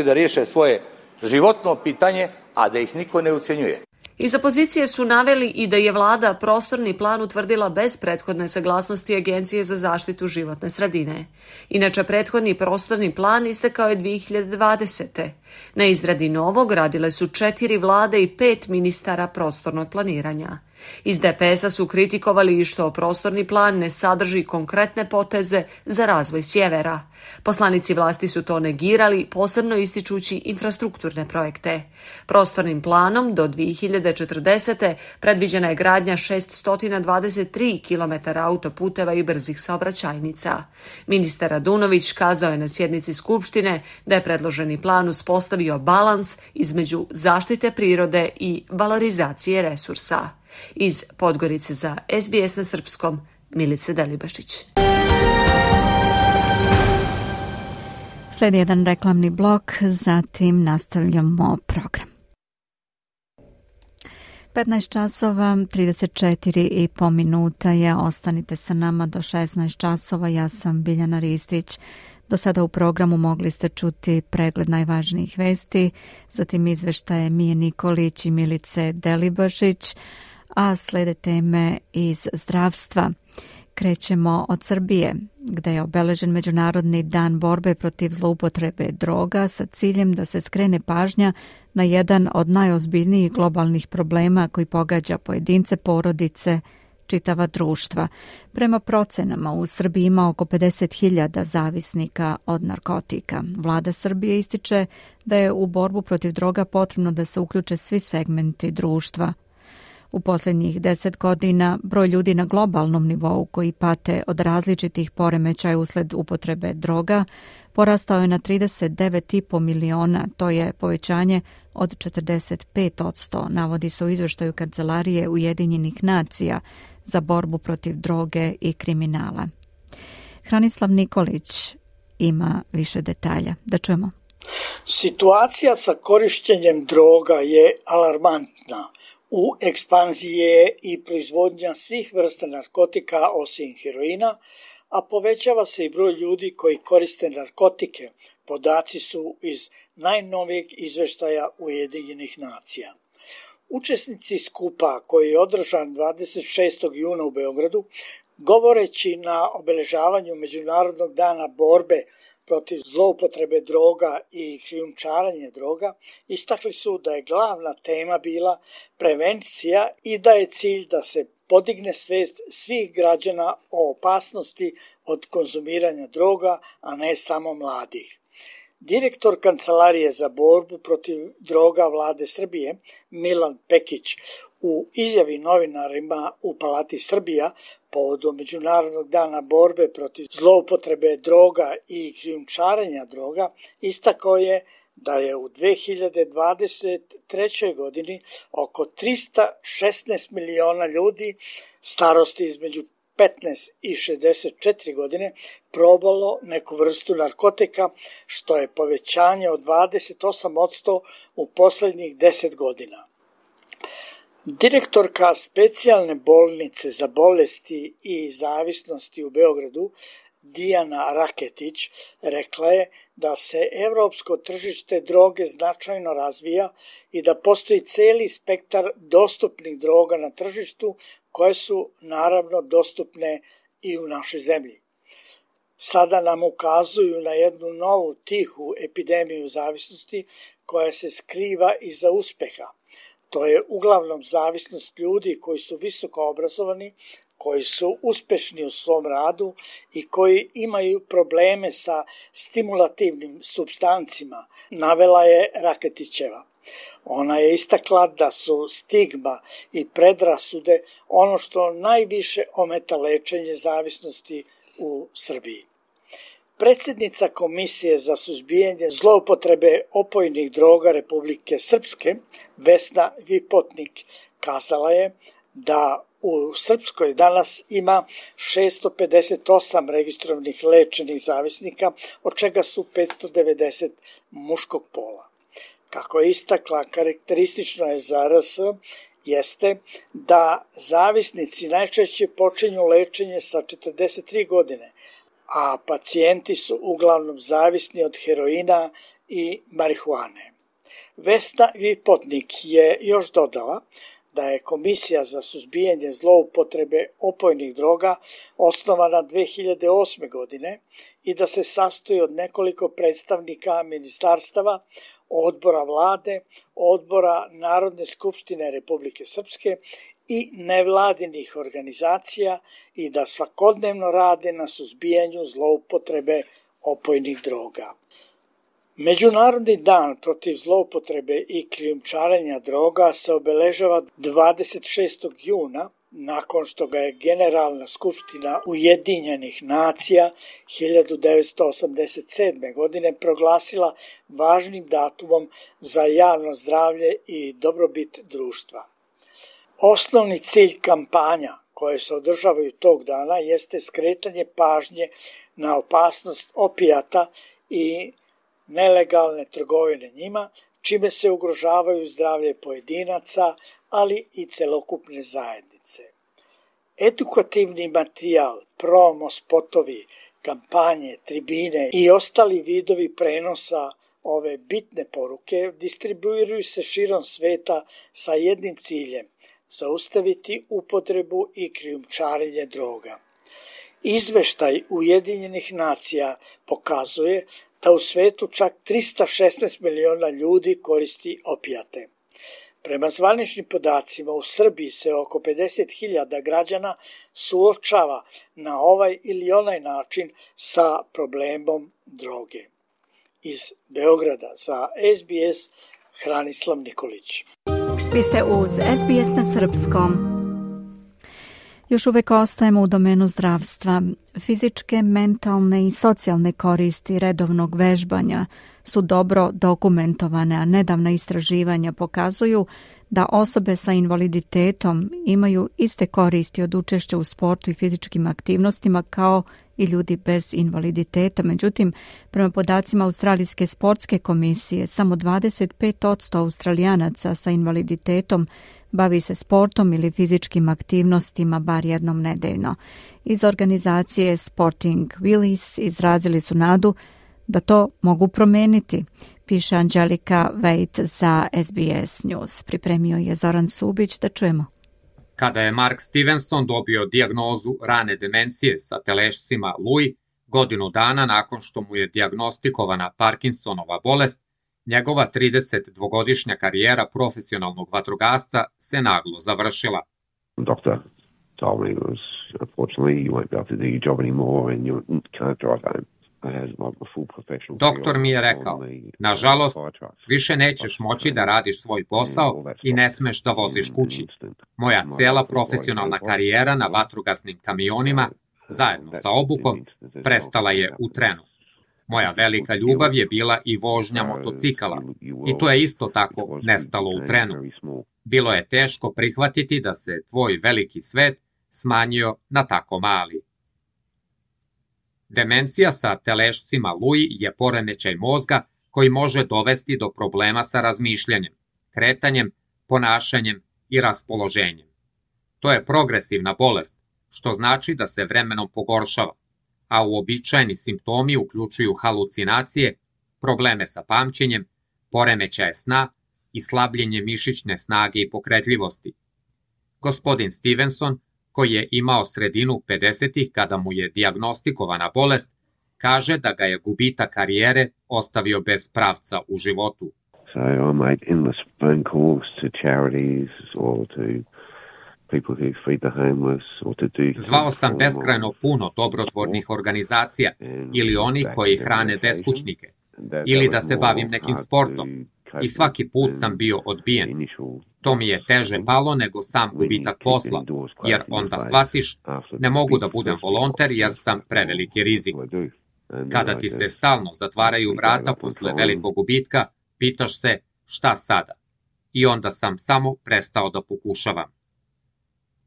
S12: da riješe svoje životno pitanje, a da ih niko ne ucenjuje.
S9: Iz opozicije su naveli i da je vlada prostorni plan utvrdila bez prethodne saglasnosti Agencije za zaštitu životne sredine. Inače, prethodni prostorni plan istekao je 2020. Na izradi novog radile su 4 vlade i 5 ministara prostornog planiranja. Iz DPS-a su kritikovali i što prostorni plan ne sadrži konkretne poteze za razvoj sjevera. Poslanici vlasti su to negirali, posebno ističući infrastrukturne projekte. Prostornim planom do 2040. predviđena je gradnja 623 km autoputeva i brzih saobraćajnica. Ministar Radunović kazao je na sjednici Skupštine da je predloženi plan uspostavio balans između zaštite prirode i valorizacije resursa. Iz Podgorice za SBS na srpskom, Milice Delibašić.
S1: Slijedi jedan reklamni blok, zatim nastavljamo program. 15 časova, 34,5 minuta je. Ostanite sa nama do 16 časova. Ja sam Biljana Ristić. Do sada u programu mogli ste čuti pregled najvažnijih vesti, zatim izveštaje Mije Nikolić i Milice Delibašić, a slede teme iz zdravstva. Krećemo od Srbije, gde je obeležen Međunarodni dan borbe protiv zloupotrebe droga sa ciljem da se skrene pažnja na jedan od najozbiljnijih globalnih problema koji pogađa pojedince, porodice, čitava društva. Prema procenama, u Srbiji ima oko 50.000 zavisnika od narkotika. Vlada Srbije ističe da je u borbu protiv droga potrebno da se uključe svi segmenti društva. U posljednjih 10 godina broj ljudi na globalnom nivou koji pate od različitih poremećaja usled upotrebe droga porastao je na 39,5 miliona, to je povećanje od 45%, navodi se u izveštaju Kancelarije Ujedinjenih nacija za borbu protiv droge i kriminala. Hranislav Nikolić ima više detalja. Da čujemo.
S13: Situacija sa korištenjem droga je alarmantna. U ekspanziji je i proizvodnja svih vrsta narkotika osim heroina, a povećava se i broj ljudi koji koriste narkotike. Podaci su iz najnovijeg izveštaja Ujedinjenih nacija. Učesnici skupa koji je održan 26. juna u Beogradu, govoreći na obeležavanju Međunarodnog dana borbe protiv zloupotrebe droga i krijumčarenja droga, istakli su da je glavna tema bila prevencija i da je cilj da se podigne svijest svih građana o opasnosti od konzumiranja droga, a ne samo mladih. Direktor Kancelarije za borbu protiv droga Vlade Srbije, Milan Pekić, u izjavi novinarima u Palati Srbija povodom Međunarodnog dana borbe protiv zloupotrebe droga i krijumčarenja droga, istakao je da je u 2023. godini oko 316 miliona ljudi starosti između 15 i 64 godine probalo neku vrstu narkotika, što je povećanje od 28% u posljednjih 10 godina. Direktorka specijalne bolnice za bolesti i zavisnosti u Beogradu, Dijana Raketić, rekla je da se evropsko tržište droge značajno razvija i da postoji cijeli spektar dostupnih droga na tržištu koje su naravno dostupne i u našoj zemlji. Sada nam ukazuju na jednu novu tihu epidemiju zavisnosti koja se skriva iza uspeha. To je uglavnom zavisnost ljudi koji su visoko obrazovani, koji su uspešni u svom radu i koji imaju probleme sa stimulativnim supstancima, navela je Raketićeva. Ona je istakla da su stigma i predrasude ono što najviše ometa lečenje zavisnosti u Srbiji. Predsjednica Komisije za suzbijanje zloupotrebe opojnih droga Republike Srpske, Vesna Vipotnik, kazala je da u Srpskoj danas ima 658 registrovanih lečenih zavisnika, od čega su 590 muškog pola. Kako je istakla, karakteristično je za RS jeste da zavisnici najčešće počinju lečenje sa 43 godine, a pacijenti su uglavnom zavisni od heroina i marihuane. Vesna Vipotnik je još dodala da je Komisija za suzbijanje zloupotrebe opojnih droga osnovana 2008. godine i da se sastoji od nekoliko predstavnika ministarstava, odbora vlade, odbora Narodne skupštine Republike Srpske i nevladinih organizacija i da svakodnevno rade na suzbijanju zloupotrebe opojnih droga. Međunarodni dan protiv zloupotrebe i krijumčarenja droga se obeležava 26. juna, nakon što ga je Generalna skupština Ujedinjenih nacija 1987. godine proglasila važnim datumom za javno zdravlje i dobrobit društva. Osnovni cilj kampanja koje se održavaju tog dana jeste skretanje pažnje na opasnost opijata i nelegalne trgovine njima, čime se ugrožavaju zdravlje pojedinaca, ali i celokupne zajednice. Edukativni materijal, promo spotovi, kampanje, tribine i ostali vidovi prenosa ove bitne poruke distribuiraju se širom sveta sa jednim ciljem – zaustaviti upotrebu i krijumčarenje droga. Izveštaj Ujedinjenih nacija pokazuje da u svetu čak 316 miliona ljudi koristi opijate. Prema zvaničnim podacima, u Srbiji se oko 50.000 građana suočava na ovaj ili onaj način sa problemom droge. Iz Beograda za SBS Hranislav Nikolić.
S1: Vi ste uz SBS na srpskom. Još uvek ostajemo u domenu zdravstva. Fizičke, mentalne i socijalne koristi redovnog vežbanja su dobro dokumentovane, a nedavna istraživanja pokazuju da osobe sa invaliditetom imaju iste koristi od učešća u sportu i fizičkim aktivnostima kao i ljudi bez invaliditeta. Međutim, prema podacima Australijske sportske komisije, samo 25% Australijanaca sa invaliditetom bavi se sportom ili fizičkim aktivnostima bar jednom nedeljno. Iz organizacije Sporting Willis izrazili su nadu da to mogu promeniti, piše Angelika Veit za SBS News. Pripremio je Zoran Subić, da čujemo.
S14: Kada je Mark Stevenson dobio dijagnozu rane demencije sa telešcima Lewy, godinu dana nakon što mu je dijagnostikovana Parkinsonova bolest, njegova 32-godišnja karijera profesionalnog vatrogasca se naglo završila.
S15: Doctor told me unfortunately you won't be able to do your job anymore and you can't drive home.
S14: Doktor mi je rekao, nažalost, više nećeš moći da radiš svoj posao i ne smeš da voziš kući. Moja cela profesionalna karijera na vatrogasnim kamionima, zajedno sa obukom, prestala je u trenu. Moja velika ljubav je bila i vožnja motocikala i to je isto tako nestalo u trenu. Bilo je teško prihvatiti da se tvoj veliki svet smanjio na tako mali. Demencija sa telešcima Lewy je poremećaj mozga koji može dovesti do problema sa razmišljanjem, kretanjem, ponašanjem i raspoloženjem. To je progresivna bolest, što znači da se vremenom pogoršava, a uobičajeni simptomi uključuju halucinacije, probleme sa pamćenjem, poremećaje sna i slabljenje mišićne snage i pokretljivosti. Gospodin Stevenson, koji je imao sredinu 50-ih kada mu je dijagnostikovana bolest, kaže da ga je gubitak karijere ostavio bez pravca u životu.
S15: So I made endless phone calls to charities or to people who feed the homeless or to do...
S14: Zvao sam beskrajno puno dobrotvornih organizacija ili onih koji hrane beskućnike, ili da se bavim nekim sportom, i svaki put sam bio odbijen. To mi je teže palo nego sam gubitak posla, jer onda shvatiš, ne mogu da budem volonter jer sam preveliki rizik. Kada ti se stalno zatvaraju vrata posle velikog gubitka, pitaš se šta sada? I onda sam samo prestao da pokušavam.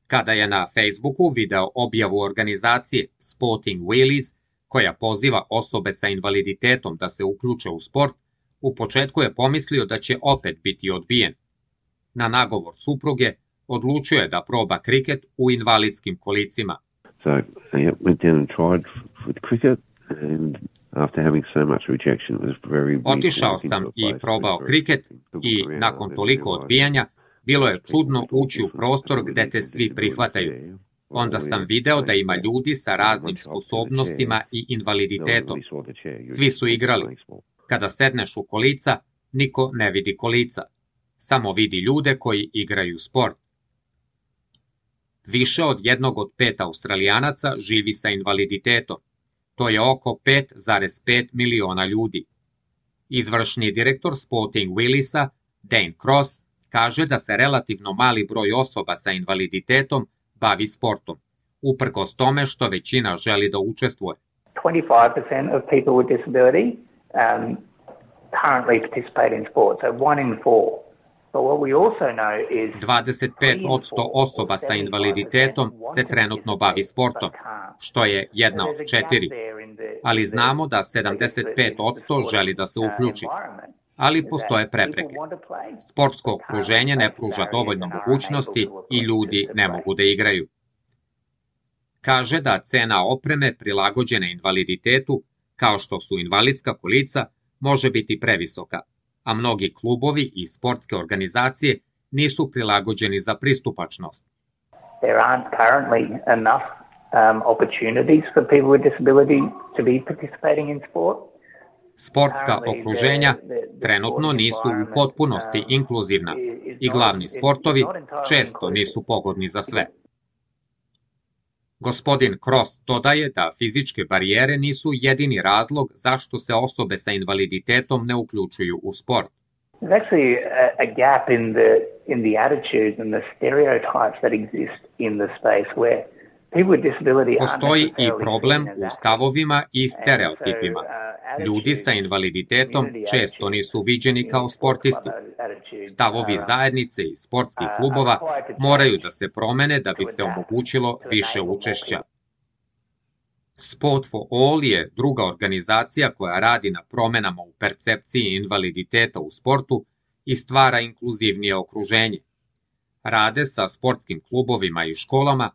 S14: Kada je na Facebooku video objavu organizacije Sporting Wheelies, koja poziva osobe sa invaliditetom da se uključe u sport, u početku je pomislio da će opet biti odbijen. Na nagovor supruge odlučio je da proba kriket u invalidskim kolicima.
S15: So I went down and tried with cricket, and after having so much rejection, it was very.
S14: Otišao sam i probao kriket i nakon toliko odbijanja bilo je čudno ući u prostor gde te svi prihvataju. Onda sam video da ima ljudi sa raznim sposobnostima i invaliditetom. Svi su igrali. Kada sedneš u kolica, niko ne vidi kolica. Samo vidi ljude koji igraju sport. Više od 1 od 5 Australijanaca živi sa invaliditetom. To je oko 5,5 miliona ljudi. Izvršni direktor Sporting Wheeliesa, Dane Cross, kaže da se relativno mali broj osoba sa invaliditetom bavi sportom, uprkos tome što većina želi da učestvuje.
S16: 25% of people with disability currently participate in sport, so 1 in 4.
S14: 25% osoba sa invaliditetom se trenutno bavi sportom, što je 1 od 4, ali znamo da 75% želi da se uključi. Ali postoje prepreke. Sportsko okruženje ne pruža dovoljno mogućnosti i ljudi ne mogu da igraju. Kaže da cena opreme prilagođene invaliditetu, kao što su invalidska kolica, može biti previsoka, a mnogi klubovi i sportske organizacije nisu prilagođeni za pristupačnost.
S16: There aren't currently enough opportunities for people with disability to be participating in sport.
S14: Sportska okruženja trenutno nisu u potpunosti inkluzivna i glavni sportovi često nisu pogodni za sve. Gospodin Cross dodaje da fizičke barijere nisu jedini razlog zašto se osobe sa invaliditetom ne uključuju u sport.
S16: There's actually a gap in the attitudes and the stereotypes that exist in the space where people with disability aren't.
S14: Postoji i problem u stavovima i stereotipima. Ljudi sa invaliditetom često nisu viđeni kao sportisti. Stavovi zajednice i sportskih klubova moraju da se promene da bi se omogućilo više učešća. Sport for All je druga organizacija koja radi na promenama u percepciji invaliditeta u sportu i stvara inkluzivnije okruženje. Rade sa sportskim klubovima i školama,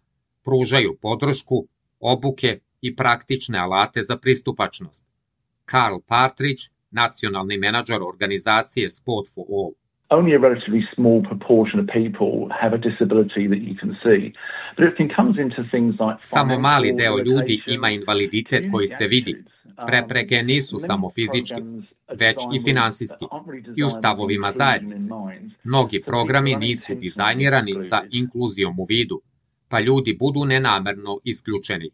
S14: pružaju podršku, obuke i praktične alate za pristupačnost. Carl Partridge, nacionalni menadžer organizacije Sport for All.
S17: Only a relatively small proportion of people have a disability that you can see. But it comes into things like
S14: samo mali deo ljudi ima invaliditet koji se vidi. Prepreke nisu samo fizički, već i finansijski, i u stavovima zajednice. Mnogi programi nisu dizajnirani sa inkluzijom u vidu, pa ljudi budu nenamerno isključeni.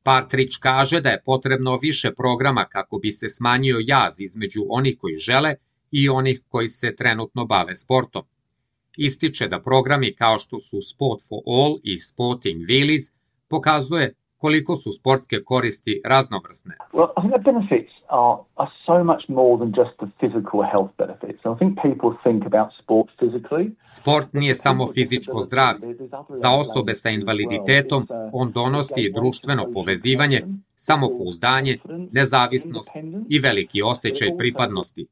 S14: Partridge kaže da je potrebno više programa kako bi se smanjio jaz između onih koji žele i onih koji se trenutno bave sportom. Ističe da programi kao što su Sport for All i Sporting Wheelies pokazuje koliko su sportske koristi raznovrsne.
S17: Well, I think the benefits are so much more than just the physical health benefits. I think people think about sport physically.
S14: Sport nije samo fizičko zdravlje. Za osobe sa invaliditetom on donosi društveno povezivanje, samopouzdanje, nezavisnost i veliki osjećaj pripadnosti.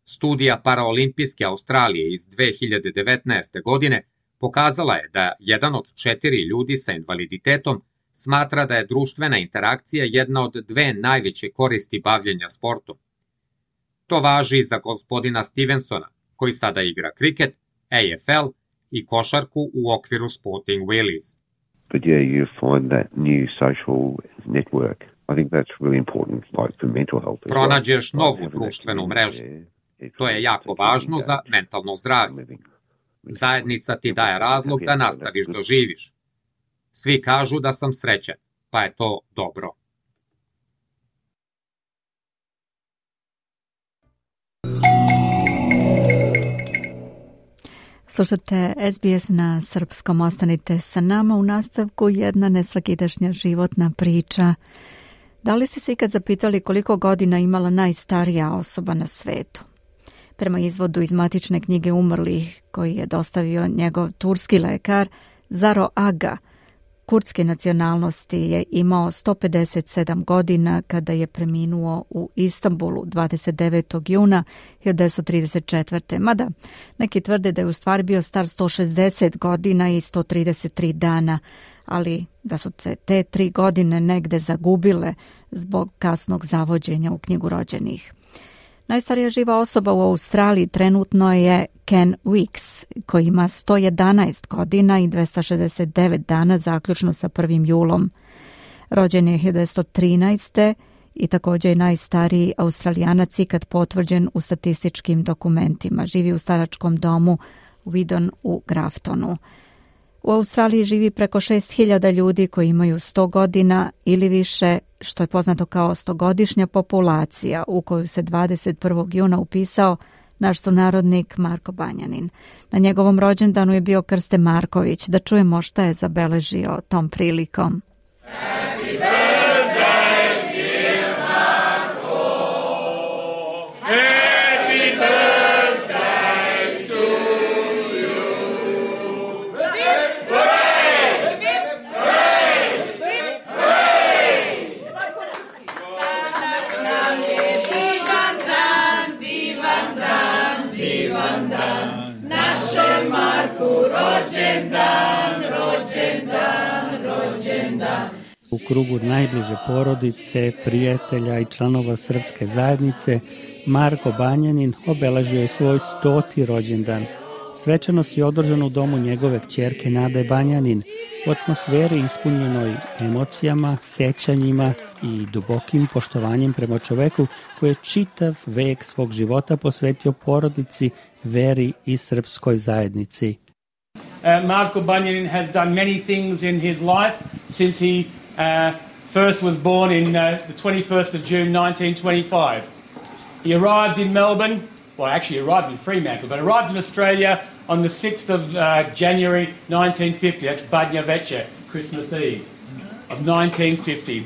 S14: Studija Paraolimpijske Australije iz 2019. godine pokazala je da 1 od 4 ljudi sa invaliditetom smatra da je društvena interakcija jedna od 2 najveće koristi bavljenja sportom. To važi i za gospodina Stevensona, koji sada igra kriket, AFL i košarku u okviru Sporting Wheelies.
S15: But yeah, you find that new social network. I think that's really important, like for mental health.
S14: Pronađeš novu društvenu mrežu. To je jako važno za mentalno zdravlje. Zajednica ti daje razlog da nastaviš da živiš. Svi kažu da sam srećan, pa je to dobro.
S1: Slušate SBS na srpskom, ostanite sa nama. U nastavku jedna nesvakidašnja životna priča. Da li ste se ikad zapitali koliko godina imala najstarija osoba na svetu? Prema izvodu iz matične knjige umrlih koji je dostavio njegov turski lekar, Zaro Aga, kurdske nacionalnosti, je imao 157 godina kada je preminuo u Istanbulu 29. juna 1934. Mada neki tvrde da je u stvari bio star 160 godina i 133 dana, ali da su se te 3 godine negde zagubile zbog kasnog zavođenja u knjigu rođenih. Najstarija živa osoba u Australiji trenutno je Ken Weeks, koji ima 111 godina i 269 dana zaključno sa 1. julom. Rođen je 1913. i također je najstariji Australijanac ikad potvrđen u statističkim dokumentima. Živi u staračkom domu Widon u Graftonu. U Australiji živi preko 6.000 ljudi koji imaju 100 godina ili više, što je poznato kao 100-godišnja populacija u koju se 21. juna upisao naš sunarodnik Marko Banjanin. Na njegovom rođendanu je bio Krste Marković. Da čujemo šta je zabeležio tom prilikom.
S18: Happy birthday, dear Marko. Happy birthday to you. Divan dan, našem Marku rođendan, rođendan, rođendan.
S19: U krugu najbliže porodice, prijatelja i članova srpske zajednice, Marko Banjanin obeležio je svoj 100. rođendan. Svečanost je održana u domu njegove kćerke Nade Banjanin, u atmosferi ispunjenoj emocijama, sećanjima i dubokim poštovanjem prema čoveku koji je čitav vek svog života posvetio porodici, veri i srpskoj zajednici.
S20: Marko Banjanin has done many things in his life since he first was born in the 21st of June 1925. He arrived in Melbourne, well actually arrived in Fremantle, but arrived in Australia on the 6th of January 1950. That's Badnja Veče, Christmas Eve of 1950.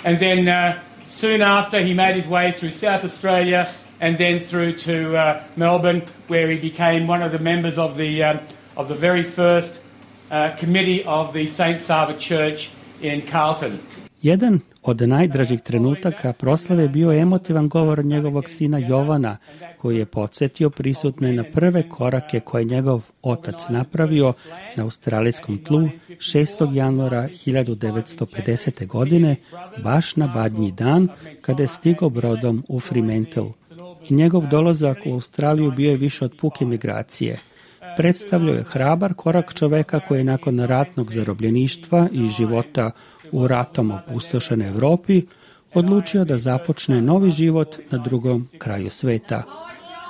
S20: And then soon after he made his way through South Australia and then through to Melbourne, where he became one of the members of the very first committee of the St. Sava Church in Carlton.
S19: Jedan od najdražih trenutaka proslave bio emotivan govor njegovog sina Jovana, koji je podsjetio prisutne na prve korake koje njegov otac napravio na australijskom tlu 6. januara 1950. godine, baš na Badnji dan, kada je stigao brodom u Fremantle. Njegov dolazak u Australiju bio je više od puke migracije. Predstavljao je hrabar korak čoveka koji je nakon ratnog zarobljeništva i života u ratom opustošenoj Evropi odlučio da započne novi život na drugom kraju sveta.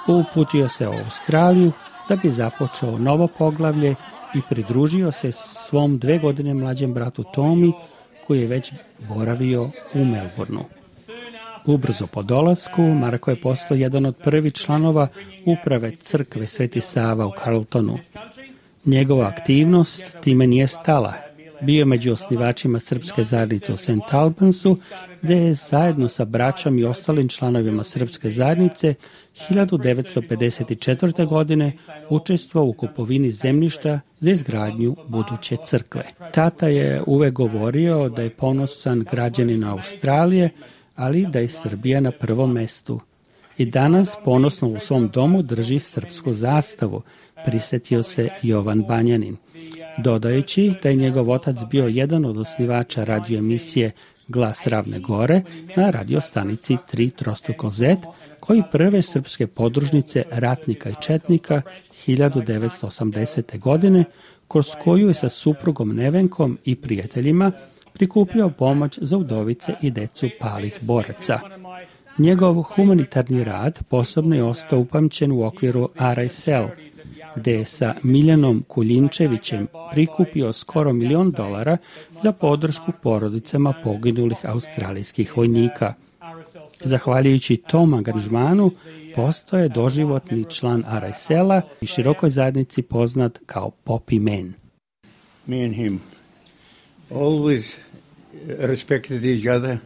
S19: Uputio se u Australiju da bi započeo novo poglavlje i pridružio se svom 2 godine mlađem bratu Tomi, koji je već boravio u Melbourneu. Ubrzo po dolasku, Marko je postao jedan od prvih članova uprave crkve Sveti Sava u Carltonu. Njegova aktivnost time nije stala. Bio je među osnivačima srpske zajednice u St. Albansu, gde je zajedno sa braćom i ostalim članovima srpske zajednice 1954. godine učestvovao u kupovini zemljišta za izgradnju buduće crkve. Tata je uvek govorio da je ponosan građanin Australije, ali da je Srbija na prvom mestu. I danas ponosno u svom domu drži srpsku zastavu, prisetio se Jovan Banjanin, dodajući da je njegov otac bio jedan od osnivača radioemisije Glas Ravne Gore na radiostanici 3 koji prve srpske podružnice ratnika i četnika 1980. godine, kroz koju je sa suprugom Nevenkom i prijateljima prikupljao pomoć za udovice i decu palih boraca. Njegov humanitarni rad posebno je ostao upamćen u okviru RSL, gde je sa Miljanom Kuljinčevićem prikupio skoro $1 milion za podršku porodicama poginulih australijskih vojnika. Zahvaljujući tom angažmanu, postao je doživotni član RSL-a i širokoj zajednici poznat kao Poppy Man.
S21: Me and him always respected each other,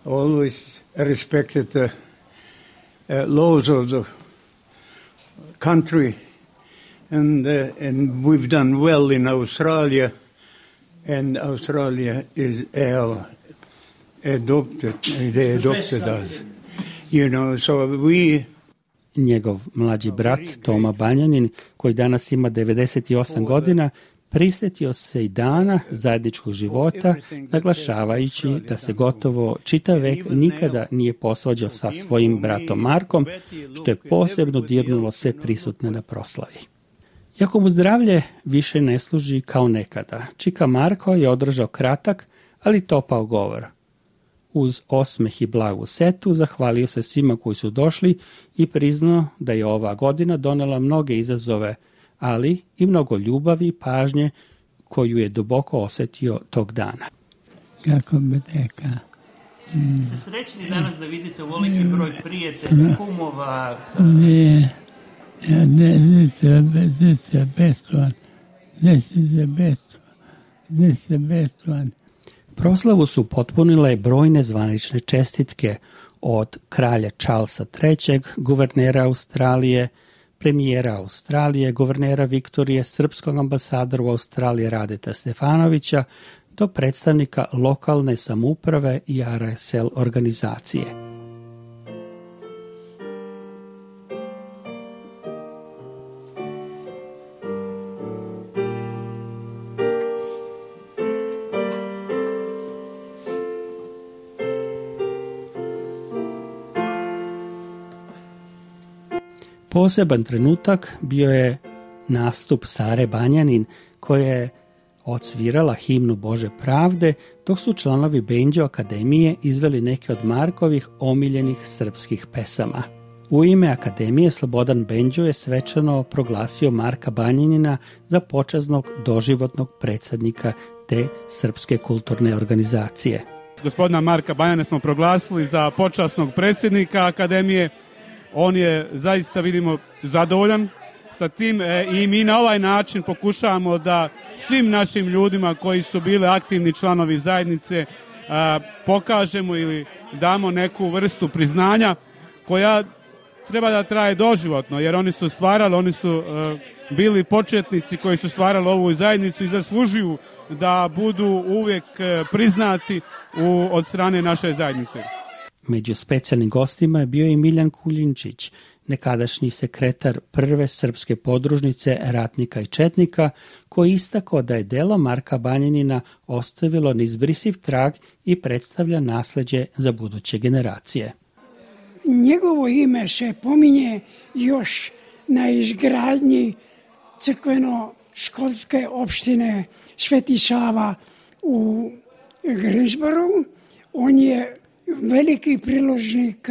S21: always respected the laws of the country, and we've done well in Australia, and Australia is they adopted us, you know, so we...
S19: Njegov mlađi brat Toma Banjanin, koji danas ima 98 godina, prisjetio se i dana zajedničkog života, naglašavajući da se gotovo čitav vek nikada nije posvađao sa svojim bratom Markom, što je posebno dirnulo sve prisutne na proslavi. Iako mu zdravlje više ne služi kao nekada, čika Marko je održao kratak, ali topao govor. Uz osmeh i blagu setu zahvalio se svima koji su došli i priznao da je ova godina donela mnoge izazove, ali i mnogo ljubavi i pažnje koju je duboko osjetio tog dana.
S22: Kako bi rekao?
S19: Ste srećni danas da vidite ovoliki broj prijatelja, kumova?
S22: Ne, this is the best one.
S19: Proslavu su potpunile brojne zvanične čestitke od kralja Charlesa III, guvernera Australije, premijera Australije, guvernera Viktorije, srpskog ambasadora u Australiji Radeta Stefanovića, do predstavnika lokalne samouprave i RSL organizacije. Poseban trenutak bio je nastup Sare Banjanin, koja je odsvirala himnu Bože pravde, dok su članovi Bendžo Akademije izveli neke od Markovih omiljenih srpskih pesama. U ime Akademije Slobodan Bendžo je svečano proglasio Marka Banjanina za počasnog doživotnog predsjednika te srpske kulturne organizacije.
S23: Gospodina Marka Banjanina smo proglasili za počasnog predsjednika Akademije. On je zaista, vidimo, zadovoljan sa tim i mi na ovaj način pokušavamo da svim našim ljudima koji su bili aktivni članovi zajednice pokažemo ili damo neku vrstu priznanja koja treba da traje doživotno, jer oni su stvarali, oni su bili početnici koji su stvarali ovu zajednicu i zaslužuju da budu uvijek priznati od strane naše zajednice.
S19: Među specijalnim gostima je bio i Miljan Kuljinčić, nekadašnji sekretar prve srpske podružnice ratnika i četnika, koji istakao da je delo Marka Banjanina ostavilo neizbrisiv trag i predstavlja nasleđe za buduće generacije.
S24: Njegovo ime se pominje još na izgradnji crkveno-školske opštine Sveti Sava u Grisboru. On je veliki priložnik,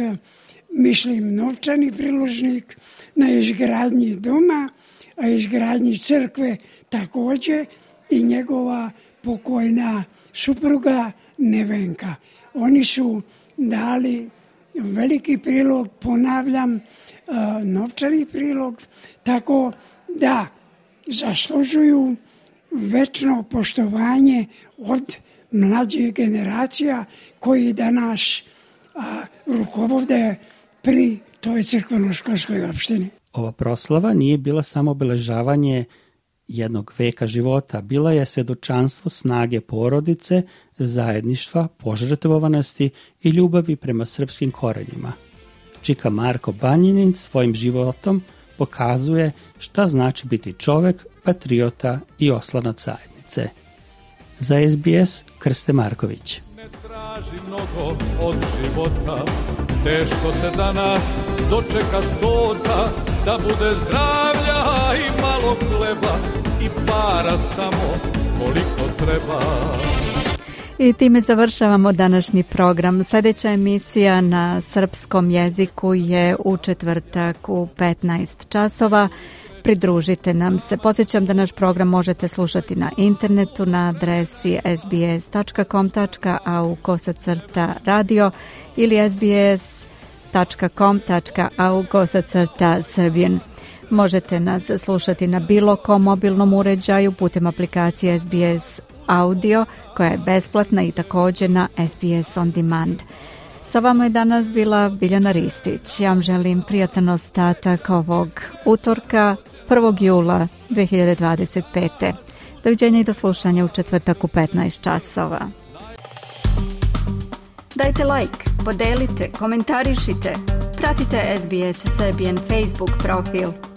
S24: mislim novčani priložnik na izgradnji doma, a izgradnji crkve također i njegova pokojna supruga Nevenka. Oni su dali veliki prilog, ponavljam, novčani prilog, tako da zaslužuju večno poštovanje od mlađih generacija koji danas rukovode pri toj crkveno-školskoj opštini.
S19: Ova proslava nije bila samo obeležavanje jednog veka života, bila je svjedočanstvo snage porodice, zajedništva, požrtvovanosti i ljubavi prema srpskim korenjima. Čika Marko Banjanin svojim životom pokazuje šta znači biti čovek, patriota i oslanac zajednice. Za SBS Krste Marković.
S25: Ne traži mnogo od života, teško se danas dočeka stota, da bude zdravlja i malo hleba i para samo koliko treba.
S1: I time završavamo današnji program. Sljedeća emisija na srpskom jeziku je u četvrtak u 15 časova. Pridružite nam se. Podsjećam da naš program možete slušati na internetu na adresi sbs.com.au/radio ili SBS sbs.com.au/Serbian. Možete nas slušati na bilo kom mobilnom uređaju putem aplikacije SBS Audio, koja je besplatna, i također na SBS On Demand. Sa vama je danas bila Biljana Ristić. Ja vam želim prijatan ostatak ovog utorka, 1. jula 2025. Doviđenja i do slušanja u četvrtak u 15 časova. Dajte like, podelite, komentarišite. Pratite SBS Serbian Facebook profil.